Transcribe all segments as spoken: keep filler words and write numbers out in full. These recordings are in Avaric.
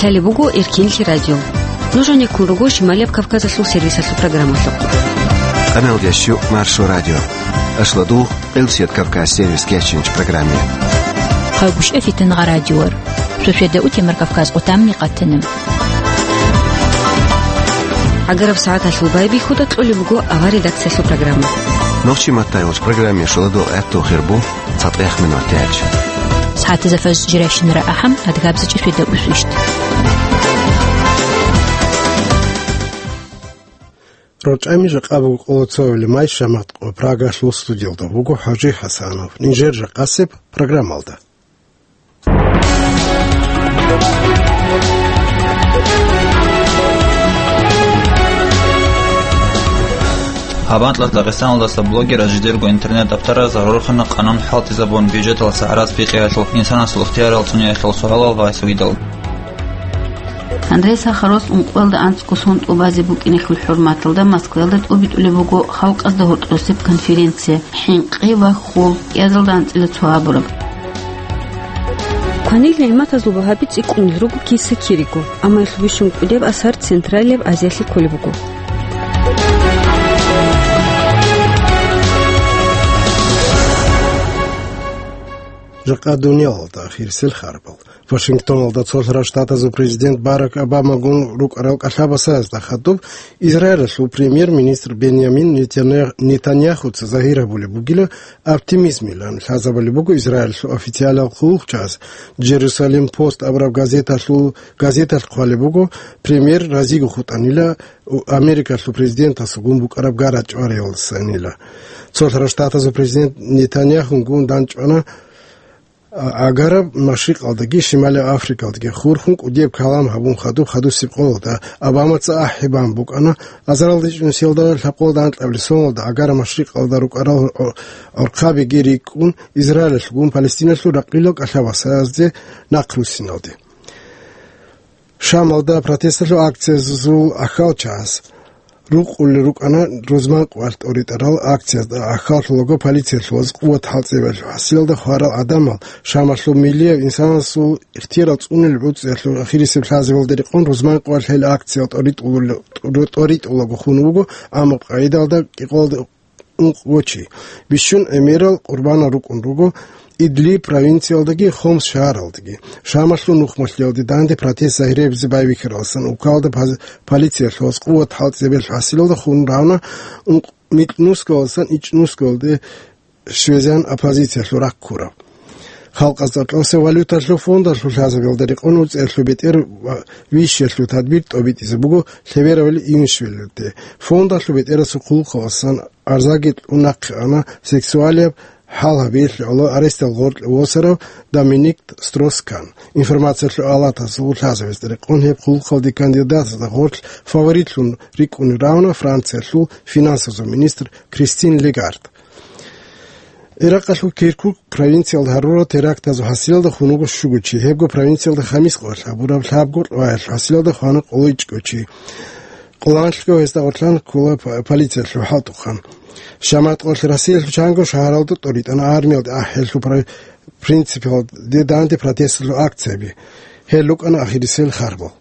Талеб буго Эркинлъи радио. Нуж гьанеккун руго Шималияб Кавказалъул сервисалъул программалъухъ. Къаналдящу Маршо радио. Ашладу Къилсият Кавказ сервис кечинч программе. Хъагушев Фитнагъа радиор. Суседа утемар Кавказ къутамни къатана. Агараб сагӀаталъул байбихьуда кьолеб буго авар редакциялъул программа. Нохчи маттайвач программе шуладу гӀатту хирбу. ЦатӀех минут тяч. Сагьатизафаз жирайщинара ахӀам, адгабзичӀи светда усвищт. РорчӀами жакъа буго къолоцовали май шамат къо Прагалъул студиялда буго ХӀажи ХӀасанов. Нижер жакъасеб программалда. Гьабанлъ Дагъистаналдаса блогераз жидерго интернет-даптараз гьарурхъана къанун хӀалтӀизабун бюджеталъа гӀарац бикъиялъул, инсанасул ихтиярал цӀуниялъул суалал ва гьесул идал. Андрей Сахаровас ункъоялда анцӀго сон тӀубазе букӀиналъул хӀурматалда Москваялда тӀубитӀулеб буго халкъазда гьоркьосеб конференция, хӀинкъи ва хьул кӀиазалда анцӀила цо абураб. Кванил нигӀматазул багьаби цӀикӀкӀунел руго киса-кириго, амма гьелъул бищун кӀудеб асар Централияб Азиялъе кколеб буго. Жакъа дуниялалда ахирисел харбал. Вашингтоналда цолъарав штатазул президент Барак Обамагун рукӀарал кӀалъабасазда хадуб Израилалъул премьер-министр Беньямин Нетаня-, Нетаньяхуца загьир гьабулеб бугила, оптимизмилан лъазабулеб буго Израилалъул официалал хъулухъчагӀаз. Джерусалим Пост абураб газеталъул, газеталъ хъвалеб буго, премьер разиго хутӀанила, у-, Америкалъул президентасулгун букӀараб гарачӀвариялдасанила. Цолъарав штатазул президент Нетаньяхунгун дандчӀвана, а-, Агараб Машрикъалдаги Шималияб Африкалдаги хурхун кӀудияб калам гьабун хадуб хадусеб къоялда. Обамаца ахӀи бан букӀана, азаралда ичӀнусиялда лъабкъоялда анкьабилеб соналда Агараб Машрикъалда рукӀарал гӀо-, гӀорхъабиги рикӀкӀун, Израилалъгун Палестиналъул ракъилал кӀалъабасазде нахъруссиналде. Шамалда протесталъул акциязул ахьалчагӀаз рукъулел рукӀана рузман къвалъ тӀоритӀарал акциязда. Ахьаллъулаго полициялъулаз къуват хӀалтӀизабиялъул хӀасилалда хварал гӀадамал Шамалъул миллияв инсанасул ихтиярал цӀунел гӀуцӀиялъул ахирисеб лъазабиялда рекъон рузман къвалъ гьел акциял тӀоритӀулел-, тӀоритӀулаго хун вуго, амма къагӀидалда кӀикъоялда ункъго чи. Бищун гӀемерал къурбанал рукӀун руго Идлиб провинциялдаги Хомс шагьаралдаги. Шамалъул нухмалъиялде данде протест загьирабизе байбихьаралдасан укалда паз-, полициялъулаз къуват хӀалтӀизабиялъул хӀасилалда хун равна ункъ-, микьнусгалдасан ичӀнусгалде щвезегӀан оппозициялъул рахъ ккураб. Халкъазда кьоса валюталъул фондалъул лъазабиялда рекъон уцӀиялъул бетӀер ва вищиялъул тадбир тӀобитӀизе буго лъеберабали Июнишвилиде. Фондалъул бетӀерасул хъулухъалдасан арзаги кьун нахъе ана сексуалияб хӀал гьабиялъе гӀоло арестал гъоркье восарав Доминик Строс-Кан. Информациялъул алатасул лъазабиялда рекъон гьеб хъулухъалде кандидатазда гъорлъ фаворитлъун рикӀкӀунел равна Франциялъул финансазул министр Кристин Лагард. Иракъалъул Киркук провинциялда гьарурал терактазул хӀасилалда хун вуго щуго чи. Гьебго провинциялда хамис къвалъ гьабураб лъабго къваялъул хӀасилалда хвана къоло ичӀго чи. Къоло анлъго гьезда гъорлъан ккола п-, полициялъул хӀалтӀухъан. Шамат къвалъ Россиялъул чанго шагьаралда тӀоритӀана армиялда ахӀиялъул пр-, принципалде данде протесталъул акцияби. Гьел рукӀана ахирисел харбал.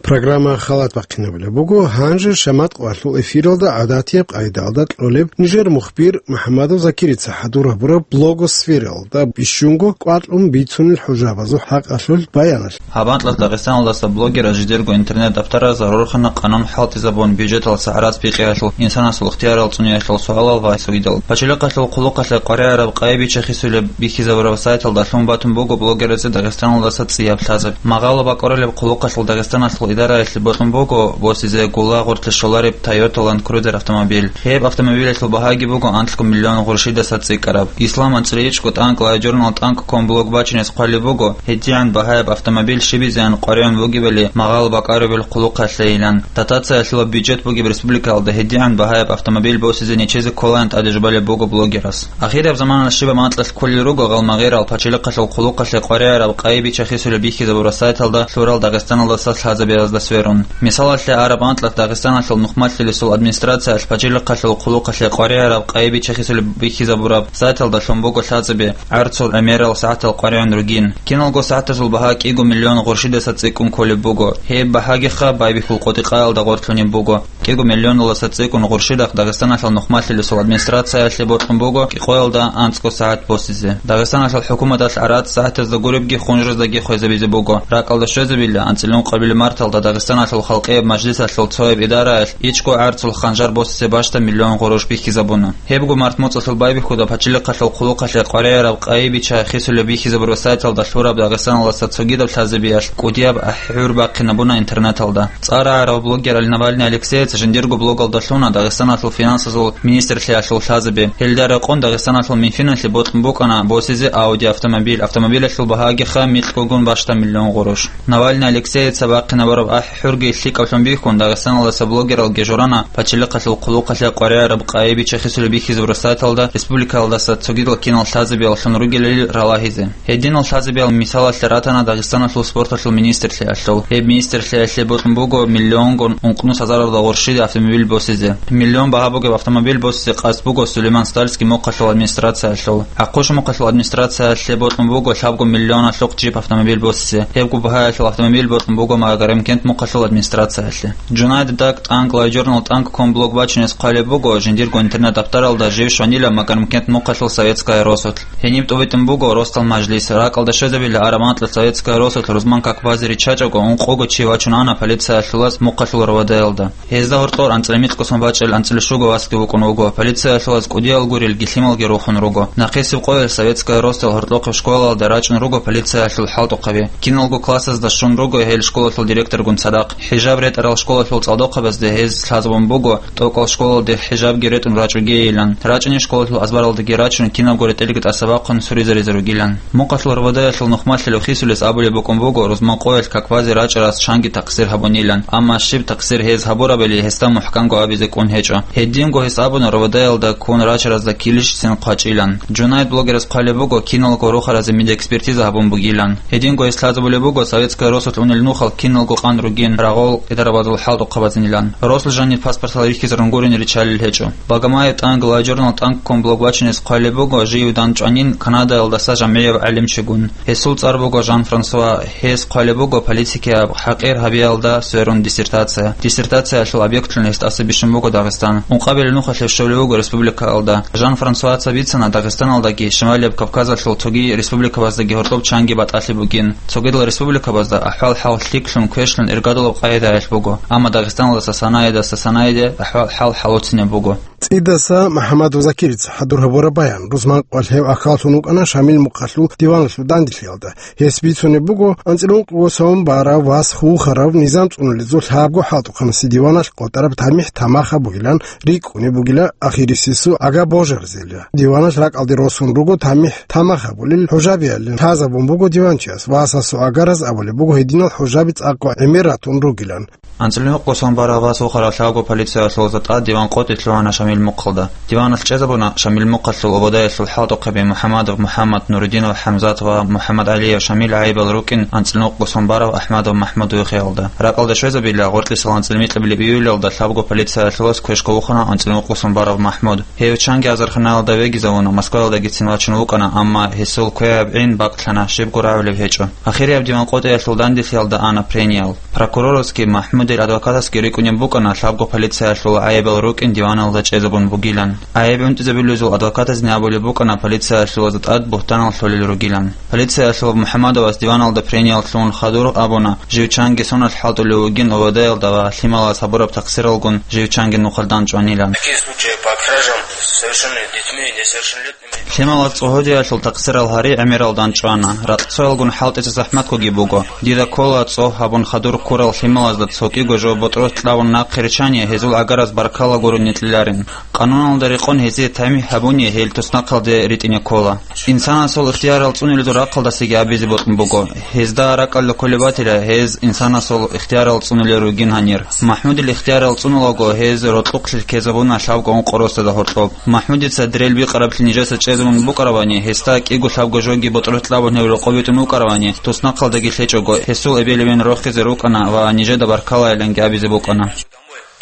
Программа халат бахъинабулеб буго. Гьанже шамат къвалъул эфиралда гӀадатияб къайдалда кьолеб нижер мухбир МухӀамадов Закирица хӀадур гьабураб блогосфералда бищунго кӀвакьун бицунел хӀужабазул хӀакъалъулъ баяналъ. Гьабанлъ Дагъистаналдаса блогераз жидерго интернет-даптараз гьарурхъана къанун хӀалтӀизабун бюджеталъа гӀарац бикъиялъул, инсанасул ихтиярал цӀуниялъул суалал ва гьесул идал. Пачалихъалъул хъулухъалъе къваригӀараб къайи бича-хисулеб бихьизабураб сайталда лъун батун буго блогераз Дагъистаналдаса цӀияб лъазаб. Магъало бакӀорулеб хъулухъалъул Дагъистаналъул идараялъе бокьун буго босизе гула гъорлъе щолареб Toyota Land Cruiser автомобиль. Гьеб автомобилялъул багьаги буго анлъго миллион гъурщидаса цӀикӀкӀараб. Ислам анцӀила ичӀго тӀанкӀ LiveJournal тӀанкӀ ком блог бачине хъвалеб буго, гьедигӀан багьаяб автомобиль щибизеян къваригӀун бугебали магъало бакӀарулеб хъулухъалъейилан. Дотациялъула бюджет бугеб республикалда гьедигӀан багьаяб автомобиль босизе нечезе кколаан тӀаде жубалеб буго блогерас. Ахираб заманалъ щибаб анкьалъ кколел руго гъалмагъирал пачалихъалъул хъулухъалъе къваригӀараб къайи бича-хисулеб бихьизабураб сайталда лъурал Дагъистаналдаса лъазабе сверун. Мисалалъе, араб анкьалъ Дагъистаналъул нухмалъулесул администрациялъ пачалихъалъул хъулухъалъе къваригӀараб къайи-бича хисулеб бихьизабураб сайталда лъун буго лъазаби гӀарцул гӀемерал сагӀатал къваригӀун ругин. Киналго сагӀатазул багьа кӀиго миллион гъурщидаса цӀикӀкӀун кколеб буго. Гьеб багьагиха Байбихьул къотӀи-къаялда гъорлъунеб буго. КӀиго миллионаласа цӀикӀкӀун гъурщидахъ Дагъистаналъул нухмалъулесул администрациялъе бокьун буго кӀикъоялда анцӀго сагӀат босизе. Дагъистаналъул хӀукуматалъ гӀарац сагӀатазда гуребги хунжраздаги хвезабизе буго. РакӀалда щвезабила, анцӀила ункъабилеб марталда Дагъистаналъул халкъияб мажлисалъул цояб идараялъ ичӀго гӀарцул ханжар босизе бащда миллион гъурущ бихьизабуна. Гьебго март моцӀалъул байбихьуда пачалихъалъул хъулухъалъе къваригӀараб къайи-бича хисулеб бихьизабураб сайталда лъураб Дагъистаналдаса цогидаб лъазабиялъ кӀудияб ахӀи-гӀур бахъинабуна интернеталда. ЦӀар рагӀарав блогер Навальный Алексеец жиндирго блогал лъуна Дагъистаналъул финансазул министрлъиялъул лъазаби. Гьелда рекъон Дагъистаналъул Минфиналъе бокьун букӀана босизе Audi автомобиль. Автомобилалъул багьагиха микьгогун бащда миллион гъурущ. Навальный Алексееца бахъинабураб ахӀи-гӀурги лъикӀаблъун бихьун, Дагъистаналдаса блогералги журана пачалихъалъул хъулухъалъе къваригӀараб къайи-бича хисулеб бихьизабураб сайталда республикалдаса цогидал кинал лъазабиялъун ругелали ралагьизе. Гьединал лъазабиял мисалалъе ратана Дагъистаналъул спорталъул министрлъиялъул. Гьеб министрлъиялъе бокьун буго миллионгун ункънус гьазаралда гъурщиде автомобиль босизе. Миллион багьа бугеб автомобиль босизе къасд буго Сулейман-Стальский мухъалъул администрациялъул. ГӀахъуш мухъалъул администрациялъе бокьун буго лъабго миллионалъухъ джип автомобиль босизе. Гьебго багьаялъул автомобиль бокьун буго Магарамкент мухъалъул администрациялъе. Жунайд Дак тӀанг лайджорнал тӀанг ккун блог бачинес хъвалеб буго жиндирго интернет-даптаралда жив щванила Магарамкент мухъалъул Советская Росулъ. Гьениб тӀубитӀун буго росдал мажлис. РакӀалда щвезабила араб анкьа Советская Росулъ рузман какбазе риччачӀого, ункъого чи вачун ана полициялъулаз мухъалъул РВД-ялда. Гьезда гьоркьор анцӀила мицӀго сон бачӀел анцӀила щуго васги вукӀун вуго. Полициялъулаз кӀудиял гурел гилъималги рухун руго. Нахъисеб къоялъ Советская Росдал гьоркьохъеб школалда рачӀун руго полициялъул хӀалтӀухъаби. Киналго классазда щун руго гьел школалъул директоргун цадахъ. ХӀижаб ретӀарал школалъул цӀалдохъабазде гьез лъазабун буго, тӀокӀал школалде хӀижабги ретӀун рачӀугейилан. РачӀунел школалъул азбаралдаги рачун, кинабго ретӀелги тӀасабахъун суризаризар ругилан. Мухъалъул РВД-ялъул нухмалъулев хисулес абулеб букӀун буго, рузман къоялъ какбазе рачӀарас чанги такъсир гьабунилан, амма щиб такъсир гьез гьабурабали гьесда мухӀканго абизе кӀун гьечӀо. Гьединго гьес абуна РВД-ялда ккун рачаразда килищицин хъвачӀилан. Жунайд блогерас хъвалеб буго, киналго рохаразе мидекспертиза гьабун бугилан. Гьединго гьес лъазабулеб буго, Советская Росулъ унел нухал киналго къан ругин, рагъул идарабазул хӀалтӀухъабазинилан. Росулъ жаниб паспортал рихьизарун гурин риччалел гьечӀо. Багамаев тӀанг лайджорнал тӀанг ккун блог бачинес хъвалеб буго, жив данчӀванин Канадаялдаса жамгӀияв гӀалимчигун. Гьесул цӀар буго Жан-Франсуа. Гьес хъвалеб буго политикияб хӀакъир гьабиялда сверун диссертация. Диссертациялъул объектлъун гьес тӀаса бищун буго Дагъистан. Ункъабилеб нухалъе щолев вуго республикаялда. Жан-Франсуаца бицана Дагъистаналдаги Шималияб Кавказалъул цоги республикабаздаги гьоркьоб чанги батӀалъи бугин. Цогидал республикабазда ахӀвал-хӀал лъикӀлъун, квешлъун, иргадулаб къагӀидаялъ буго, амма Дагъистаналдаса санаидаса санаиде ахӀвал-хӀал хӀалуцинаб буго. ЦӀидаса МухӀаммадов Закирица хӀадур гьабураб баян. Рузман къоялъ гьев ахьваллъун вукӀана Шамил мухъалъул диваналъул данделъиялда. Гьес бицунеб буго, анцӀила ункъго сон барав вас вухарав низам цӀунулезул лъабго хӀалтӀухъанасе диваналъ къотӀараб тамихӀ тамаха бугилан рикӀкӀунеб бугила ахирисесул агар божарзелила. Диваналъ ракӀалде росун руго тамихӀ тамах гьабулел хӀужабиялин лъазабун буго диванчияс. Васасул агараз абулеб буго, гьединал хӀужаби цӀакъго гӀемер ратун ругилан. АнцӀила ункъго сон барав вас вухарав лъабго полициялъул затӀа диван къотӀи лъугьана Шамил мухъалда. Диваналъ чӀезабуна Шамил мухъалъул ободаялъул хӀалтӀухъаби МухӀаммадов МухӀаммад, Нурудинов ХӀамзат ва МухӀаммадгӀалиев Шамил гӀайибал рукӀин анцӀила ункъго сон барав АхӀмадов МахӀмуд вихиялда. Ракъалда щвезабила, гъоркьисал анцӀила микьабилеб июлялда лъабго полициялъулас квешкав вухана анцӀила ункъго сон барав МахӀмуд. Гьев чанги азарханаялда вегизавуна, Москваялдагицин вачун вукӀана, амма гьесул квегӀаб гӀин бакълъана, щибго рагӀулеб гьечӀо. Ахирияб диван къотӀиялъул данделъиялда ана прениялъ. Прокурорасги МахӀмудил адвокатасги рикӀкӀунеб букӀана лъабго полициялъул гӀайибал рукӀин диваналда чӀезабун бугилан. ГӀайиб гӀунтӀизабулезул адвокатазни абулеб букӀана полициялъул затӀад бугьтанал лъолел ругилан. Полициялъул МухӀаммадовас диваналда прениялъ лъугьун хадур абуна, жив чанги соналъ хӀалтӀулев вугин ОВД-ялда ва лъималаз гьабураб такъсиралгун жив чанги нухалдан чӀванилан. Такие случаи по кражам с совершеннолетними и несовершеннолетними. Лъималаз цӀогьодиялъул такъсирал гьари гӀемералдан чӀвана. Ракъцоялгун хӀалтӀизе захӀматгоги буго. Дида ккола цӀогь гьабун хадур ккурал лъималазда цо кӀиго жо ботӀрос кьавун нахъе риччани, гьезул агараз баркала гурони кьеларин. Къануналда рекъон гьезие тамихӀ гьабуни гьел туснахъалде ритӀине ккола. Инсанасул ихтиярал цӀунулезул рахъалдасаги абизе бокьун буго. Гьезда ракӀалда кколеб батила, гьез инсанасул ихтиярал цӀунулел ругин гьанир. МахӀмудил ихтиярал цӀунулаго, гьез рокьухълъи ккезабуна лъабго ункъо росдада гьоркьоб. МахӀмудица дирел бикъараблъи нижеца чӀезабун букӀарабани, гьесда кӀиго лъабго жоги ботӀролъ кьабун гьев рокъов витӀун вукӀарабани, туснахъалдаги лъечӀого, гьесул эбел-эбен рохизе рукӀана ва нижеда баркалайиланги абизе букӀана.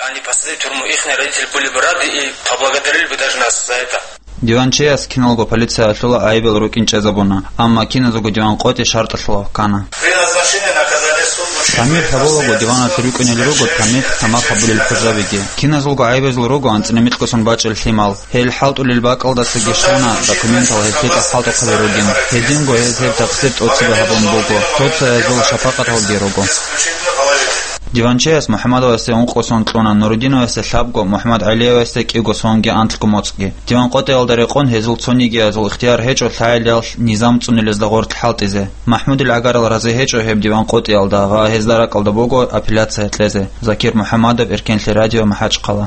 Они посадили в тюрьму, ихние родители были бы рады и поблагодарили бы даже нас за это. Диванчияс киналго полициялъула айбел рукӀин чӀезабуна, амма киназего диван къотӀи шартӀалъула вахъана. При назначении наказания суд учитывает... ТамихӀ гьабулаго диваналъ рукӀунел руго тамихӀ тамах гьабулел хужабиги. Киназулго гӀайбазул руго анцӀила микьгосон бачӀел лъимал. Гьел хӀалтӀулел бакӀалдасаги щвана документал гьеб лъикӀаб хӀалтӀухъаби ругин. Гьединго гьез гьеб такъдир тӀоцебе гьабун буго, цо-цоязул шапакъаталги руго. Диванчияс МухӀаммадовасде ункъо сон кьуна, Нурудиновасде лъабго, МухӀаммадгӀалиевасде кӀиго сонги анлъго моцӀги. Диван къотӀиялда рекъон гьезул цонигиязул ихтияр гьечӀо лъагӀелал низам цӀунулезда гъорлъ хӀалтӀизе. МахӀмудил гӀагарал рази гьечӀо гьеб диван къотӀиялда ва гьезда ракӀалда буго апелляция кьезе. Закир МухӀаммадов, Эркенлъи радио, МахӀачхъала.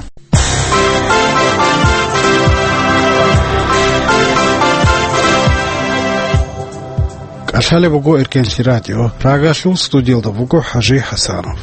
КӀалъалеб буго Эркенлъи радио. Прагалъул студиялда буго ХӀажи ХӀасанов.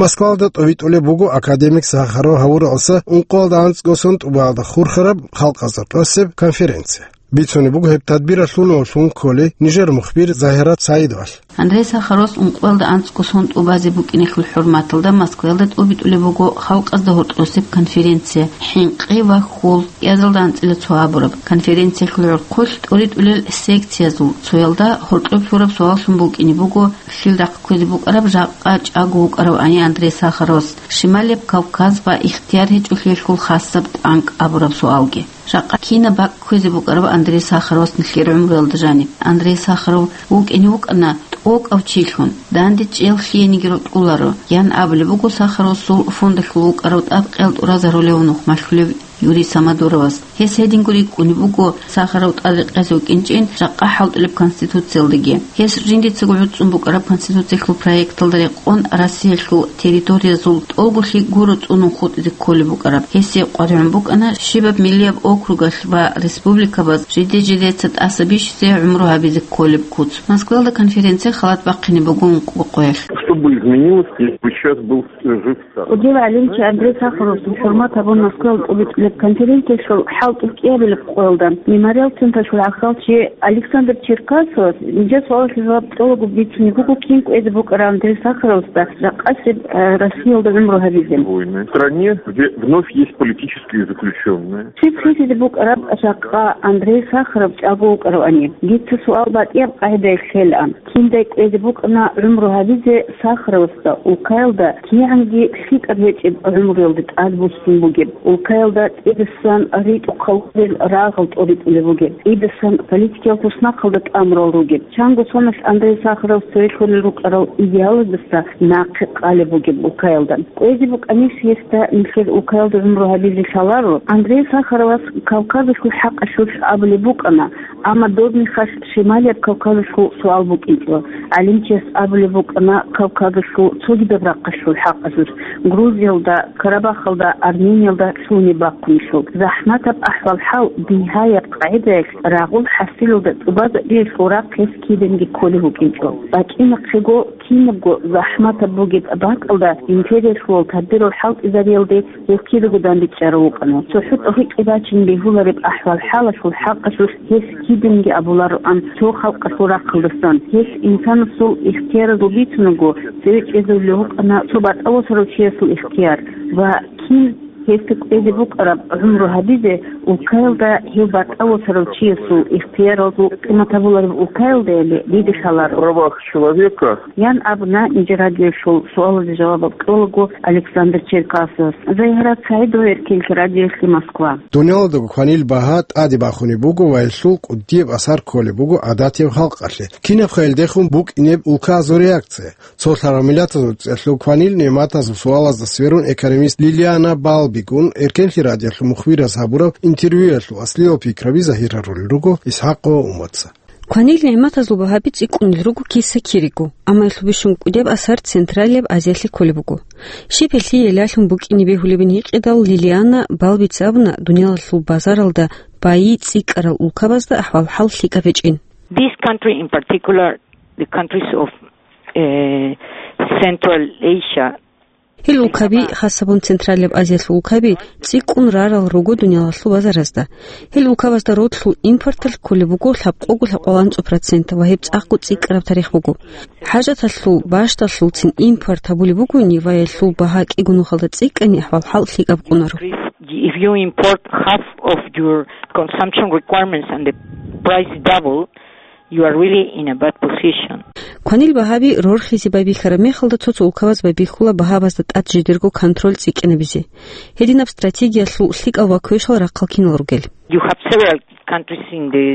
Москвалда тӀовитӀулеб буго академик Сахаров гьавуралдаса ункъоялда анцӀго сон тӀубаалда хурхараб халкъазда тӀосеб конференция. Бицунеб буго гьеб тадбиралъ лъугьун-лъугьун кколей нижер мухбир Загьират СагӀидовалъ. Андрей Сахаровас ункъоялда анцӀго сон тӀубазе букӀинехъул хӀурматалда Москваялда тӀобитӀулеб буго халкъазда гьоркьосеб конференция «ХӀинкъи ва хьул» кӀиазалда анцӀила цо абураб. Конференциялъул гӀурхъулъ тӀоритӀулел секциязул цоялда гьоркьоб лъураб суаллъун букӀине буго, лъил рахъ кквезе букӀараб жакъа чӀаго вукӀаравани Андрей Сахаровас, Шималияб Кавказ ва ихтияр гьечӀолъиялъул хасаб тӀанкӀ абураб суалги. Жакъа кинаб бакӀ кквезе букӀараб Андрей Сахаровас нилъер гӀумруялда жаниб? Андрей Сахаров вукӀине вукӀана тӀокӀав чилъун, данде чӀел лъиениги рокьуларо, ян абулеб буго Сахаровасул фондалъул вукӀарав тӀад къел тӀуразарулев нухмалъулев Юрий Самодуровас. Гьес гьединго рикӀкӀунеб буго Сахаров тӀад рекъезе вукӀинчӀин жакъа хӀалтӀулеб Конституциялдаги. Гьес жиндицаго гӀуцӀцӀун букӀараб Конституциялъул проекталда рекъон Россиялъул территориязул тӀолгулъи гуро цӀунун хутӀизе кколеб букӀараб. Гьесие къваригӀун букӀана щибаб миллияб округалъ ва республикабаз жиде-жидеца тӀаса бищизе гӀумру гьабизе кколеб куц. Москваялда конференция халат бахъине буго ункъо къоялъ. Что бы изменилось, если бы сейчас был жив Сахаров? КӀудияв гӀалимчи Андрей Сахаровасул хӀурмат гьабун Москваялда тӀубитӀулеб конференциялъул хӀалтӀулеб кӀиабилеб къоялда Мемориал централъул гӀахьалчи Александр Черкасовас нижер суалалъе жаваб кьолаго бицунеб буго кин кӀвезе букӀараб Андрей Сахаровасда жакъасеб, э, Россиялда гӀумру гьабизе. Войны. В стране, где вновь есть политические заключенные. Щиб хисизе букӀараб жакъа Андрей Сахаров чӀаго вукӀаравани? Дица суал батӀияб къагӀидаялъ ккелаан. Киндай кӀвезе букӀана гӀумру гьабизе Сахаровасда, улкаялда кигӀанги лъикӀаб гьечӀеб гӀумруялда тӀад буссун бугеб, улкаялда тӀедасан ритӀухъ хъалурел рагъал тӀоритӀулеб бугеб, тӀедасан политикиял туснахъалда тӀамурал ругеб. Чанго соналъ Андрей Сахаровас цеве лъолел рукӀарал идеалаздаса нахъе къалеб бугеб улкаялда. КӀвезе букӀанищ гьесда нилъер улкаялда гӀумру гьабизе лъаларо, Андрей Сахаровас Кавказалъул хӀакъалъулъ абулеб букӀана, амма доб мехалъ Шималияб Кавказалъул суал букӀинчӀо. ГӀалимчияс абулеб букӀана Кавказалъул цогидаб рахъалъул хӀакъалъулъ, Грузиялда, Карабахалда, Армениялда лъугьунеб бахъунелъул. ЗахӀматаб ахӀвал-хӀал бигьаяб къагӀидаялъ рагъул хӀасилалда тӀубазабиялъул рахъ гьес киданги кколев вукӀинчӀо. БачӀинахъего, кинабго захӀматаб бугеб бакӀалда империялъул тадбирал хӀалтӀизариялде гьев кидаго дандечӀарав вукӀана. ЦохӀо тӀогьитӀи бачин бегьулареб ахӀвал-хӀалалъул хӀакъалъулъ гьес киданги абулароан цо халкъалъул рахъалдасан, гьелъ инсанасул ихтияразул бицунаго цеве чӀезулев вукӀана цо батӀа-восарав чиясул ихтияр ва кин гьесда кӀвезе букӀараб гӀумру гьабизе, улкаялда гьев батӀа-восарав чиясул ихтияралъул къимат гьабулареб улкаялдаяли диде лъаларо. Правах человека. Ян абуна нижер радиоялъул суалазе жаваб кьолаго Александр Черкасовас. Загьират СагӀидова, Эркенлъи радиоялъе, Москва. Дуниялалдаго кванил багьа тӀаде бахунеб буго ва гьелъул кӀудияб асар кколеб буго гӀадатияб халкъалъе, кинаб хъайилдехун букӀинеб улкаязул реакция. Цо лъаргӀамилатазул цӀехьлъун кванил нигӀматазул суалазда сверун экономист Лилиана Балбигун Эркенлъи радиоялъул мухбираз гьабураб интервьюялъул аслияб пикраби загьир гьарулел руго ИсхӀакъ ва Умаца. Кванил нигӀматазул багьаби цӀикӀкӀунел руго киса-кириго, амма гьелъул бищунго кӀудияб асар Централияб Азиялъе кколеб буго. Щиб гьелъие лъалъун букӀине бегьулебин гьикъидал, Лилиана балбица абуна дуниялалъул базаралда байи цӀикӀкӀарал улкабазда ахӀвал-хӀал лъикӀаб гьечӀин. This country in particular, the countries of, uh, Central Asia, Гьел улкаби, хасабун Централияб Азиялъул улкаби, цӀикӀкӀун рарал руго дуниялалъул базаразда. Гьел улкабазда родлъул импорталъ кколеб буго лъабкъого-лъабкъого анцӀу процент ва гьеб цӀакъго цӀикӀкӀараб тарих буго. ХӀажаталъул бащдалъулцин импорт гьабулеб бугони ва гьелъул багьа кӀиго нухалда цӀикӀкӀани, ахӀвал-хӀал лъикӀаб къунаро. If you import half of your consumption requirements and the price double, you are really in a bad position. Кванил багьаби рорхизе байбихьараб мехалда цо-цо улкабаз байбихьула багьабазда тӀад жидерго контроль цӀикӀкӀинабизе. Гьединаб стратегиялъул лъикӀал ва квешал рахъал кинал ругел? You have several countries in the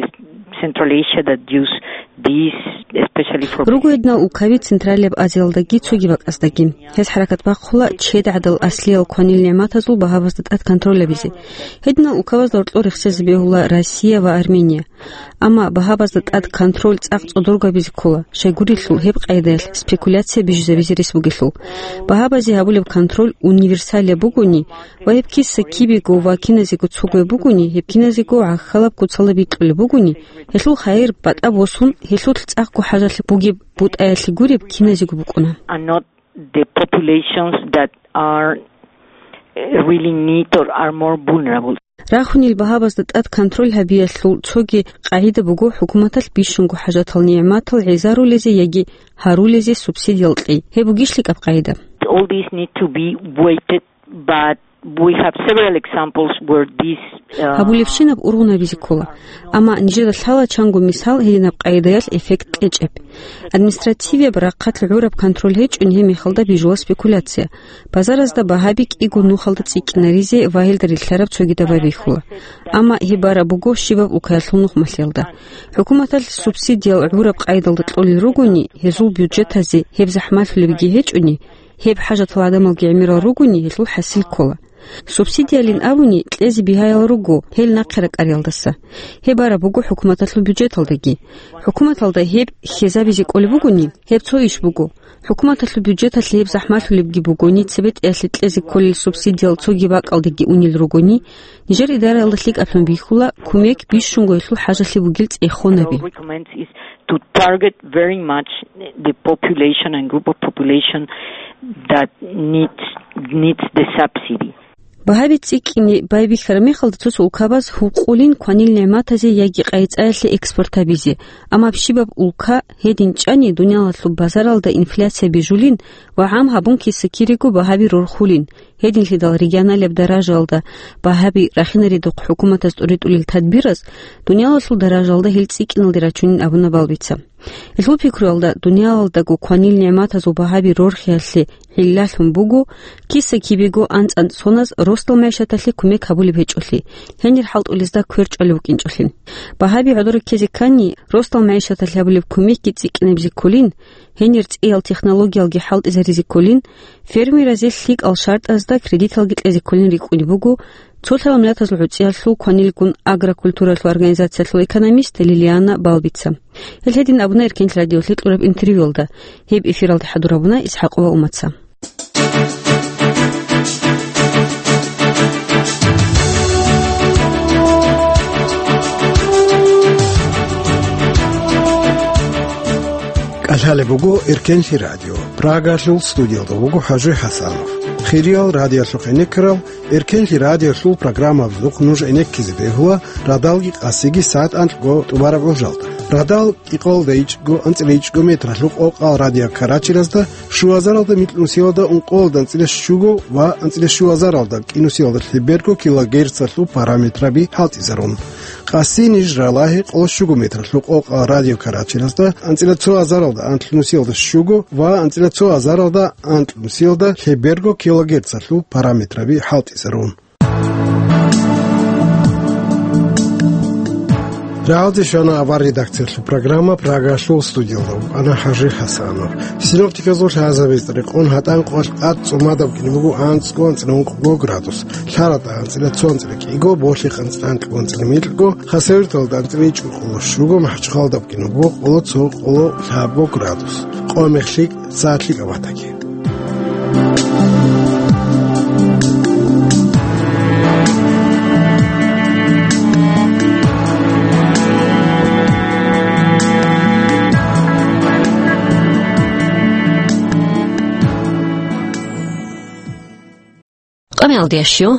Central Asia that use this, especially for Руго гьединал улкаби Централияб Азиялдаги цоги бакӀаздаги. Гьез хӀаракат бахъула чед гӀадал аслиял кванил нигӀматазул багьабазда тӀад контроль гьабизе. Гьединал улкабазда гьоркьор рехсезе бегьула Россия ва Армения. Амма багьабазда тӀад контроль цӀакъ цӀодорго гьабизе ккола, щайгурелъул гьеб къайдаялъ спекуляция бижизабизе рес бугелъул. Багьабазе гьабулеб контроль универсалияб бугони ва гьеб киса кибего ва киназего цогояб бугони, гьеб киназего гӀахьалаб куцалда бикьулеб бугони, гьелъул хайир батӀа босун, гьелъулъ цӀакъго хӀажалъи бугеб бутӀаялъе гуреб киназего букӀуна. Are not the populations that are, uh, really need or are more vulnerable. Рахунел багьабазда тӀад контроль гьабиялъул цоги къагӀида буго хӀукуматалъ бищунго хӀажатал нигӀматал гӀезарулезе яги гьарулезе субсидиял кьей. Гьеб бугищ лъикӀаб къагӀида? All these need to be weighted, but we have several examples where this, uh, Гьабулебщинаб ургъун гьабизе ккола. Амма нижеда лъала чанго мисал гьединаб къагӀидаялъ эффект кьечӀеб. Административияб рахъалъ гӀураб контроль гьечӀони гьеб мехалда бижула спекуляция. Базаразда багьаби кӀиго нухалда цӀикӀкӀинаризе ва гьелда рилълъараб цогидаб байбихьула. Амма гьеб бараб буго щибаб улкаялъул нухмалъиялда. ХӀукуматалъ субсидиял гӀураб къайдалда кьолел ругони, гьезул бюджетазе гьеб захӀмалъулебги гьечӀони, гьеб хӀажатал гӀадамалги гӀемерал ругони, гьелъул хӀасил ккола. Субсидиялин абуни, кьезе бигьаял руго гьел нахъе ракӀариялдаса. Гьеб бараб буго хӀукуматалъул бюджеталдаги. ХӀукуматалда гьеб хьезабизе кӀолеб бугони, гьеб цо иш буго. ХӀукуматалъул бюджеталъе гьеб захӀмалъулебги бугони, цебетӀеялъе кьезе кколел субсидиял цоги бакӀалдеги унел ругони, нижер идараялда лъикӀаблъун бихьула кумек бищунго гьелъул хӀажалъи бугел цӀехонаби. Recommends is to target very much the population and group of population that needs, needs the subsidy. Багьаби цӀикӀкӀине байбихьараб мехалда цо-цо улкабаз гьукъулин кванил нигӀматазе яги къайи-цӀаялъе экспорт гьабизе, амма щибаб улка гьедин чӀани дуниялалъул базаралда инфляция бижулин ва гӀам гьабун киса-кириго багьаби рорхулин, гьединлъидал регионалияб даражаялда багьаби рахинаридухъ хӀукуматаз тӀуритӀулел тадбираз дуниялалъул даражаялда гьел цӀикӀкӀиналде рачунин абуна балбица. Гьелъул пикруялда, дуниялалдаго кванил нигӀматазул багьаби рорхиялъе гӀиллалъун буго киса-кибего анцӀ-анцӀ соназ росдал мегӀшаталъе кумек гьабулеб гьечӀолъи, гьенир хӀалтӀулезда квер чӀвалев вукӀинчӀолъи. Багьаби гӀодор ккезе ккани, росдал мегӀшаталъе гьабулеб кумекги цӀикӀкӀинабизе кколин, гьенир цӀиял технологиялги хӀалтӀизаризе кколин, фермеразе лъикӀал шартӀазда кредиталги кьезе кколин рикӀкӀунеб буго цо лъала миллатазул гӀуцӀиялъул кванилгун агрокультуралъул организациялъул экономист Лилиана Балбица. Гьел гьедин абуна Эркенлъи радиолъе кьураб интервьюялда. Гьеб эфиралда хӀадур гьабуна ИсхӀакъова Умаца. КӀалъалеб буго Эркенлъи радио. Прагалъул студиялда вуго ХӀажуй ХӀасанов. Хириял радиолъухъ гӀенеккарал Эркенлъи радиолъул программабазухъ нуж гӀенеккизе бегьула радалги къасиги сагӀат анкьго тӀубараб гӀужалда. Радал кӀикъоялда ичӀго, анцӀила ичӀго метралъул къокъал радиокарачелазда, щуазаралда микьнусиялда ункъоялда анцӀила щуго ва анцӀила щуазаралда кӀинусиялда лъеберго килогерцалъул параметраби хӀалтӀизарун. Къаси ниж ралагье къоло щуго метралъул къокъал радиокарачелазда, анцӀила цо азаралда анлънусиялда щуго ва анцӀила цо азаралда анлънусиялда лъеберго килогерцалъул параметраби хӀалтӀизарун. Рагьалде щвана авар редакциялъул программа, Прагалъул студиялда вукӀана ХӀажи ХӀасанов. Синоптиказул лъазабиз рекъон гьатӀан къоялъ тӀад цӀумадаб кӀине буго анцӀго анцӀила ункъго градус, Лъараталда анцӀила цо анцӀила кӀиго, Болъихъ анцӀила анкьго анцӀила микьго, Хасавюрталда анцӀила ичӀго къоло щуго, МахӀачхъалада кӀине буго къоло цо къоло лъабго градус, къо-мех лъикӀ, сагӀат лъикӀаб батаги. Къамиялде щу,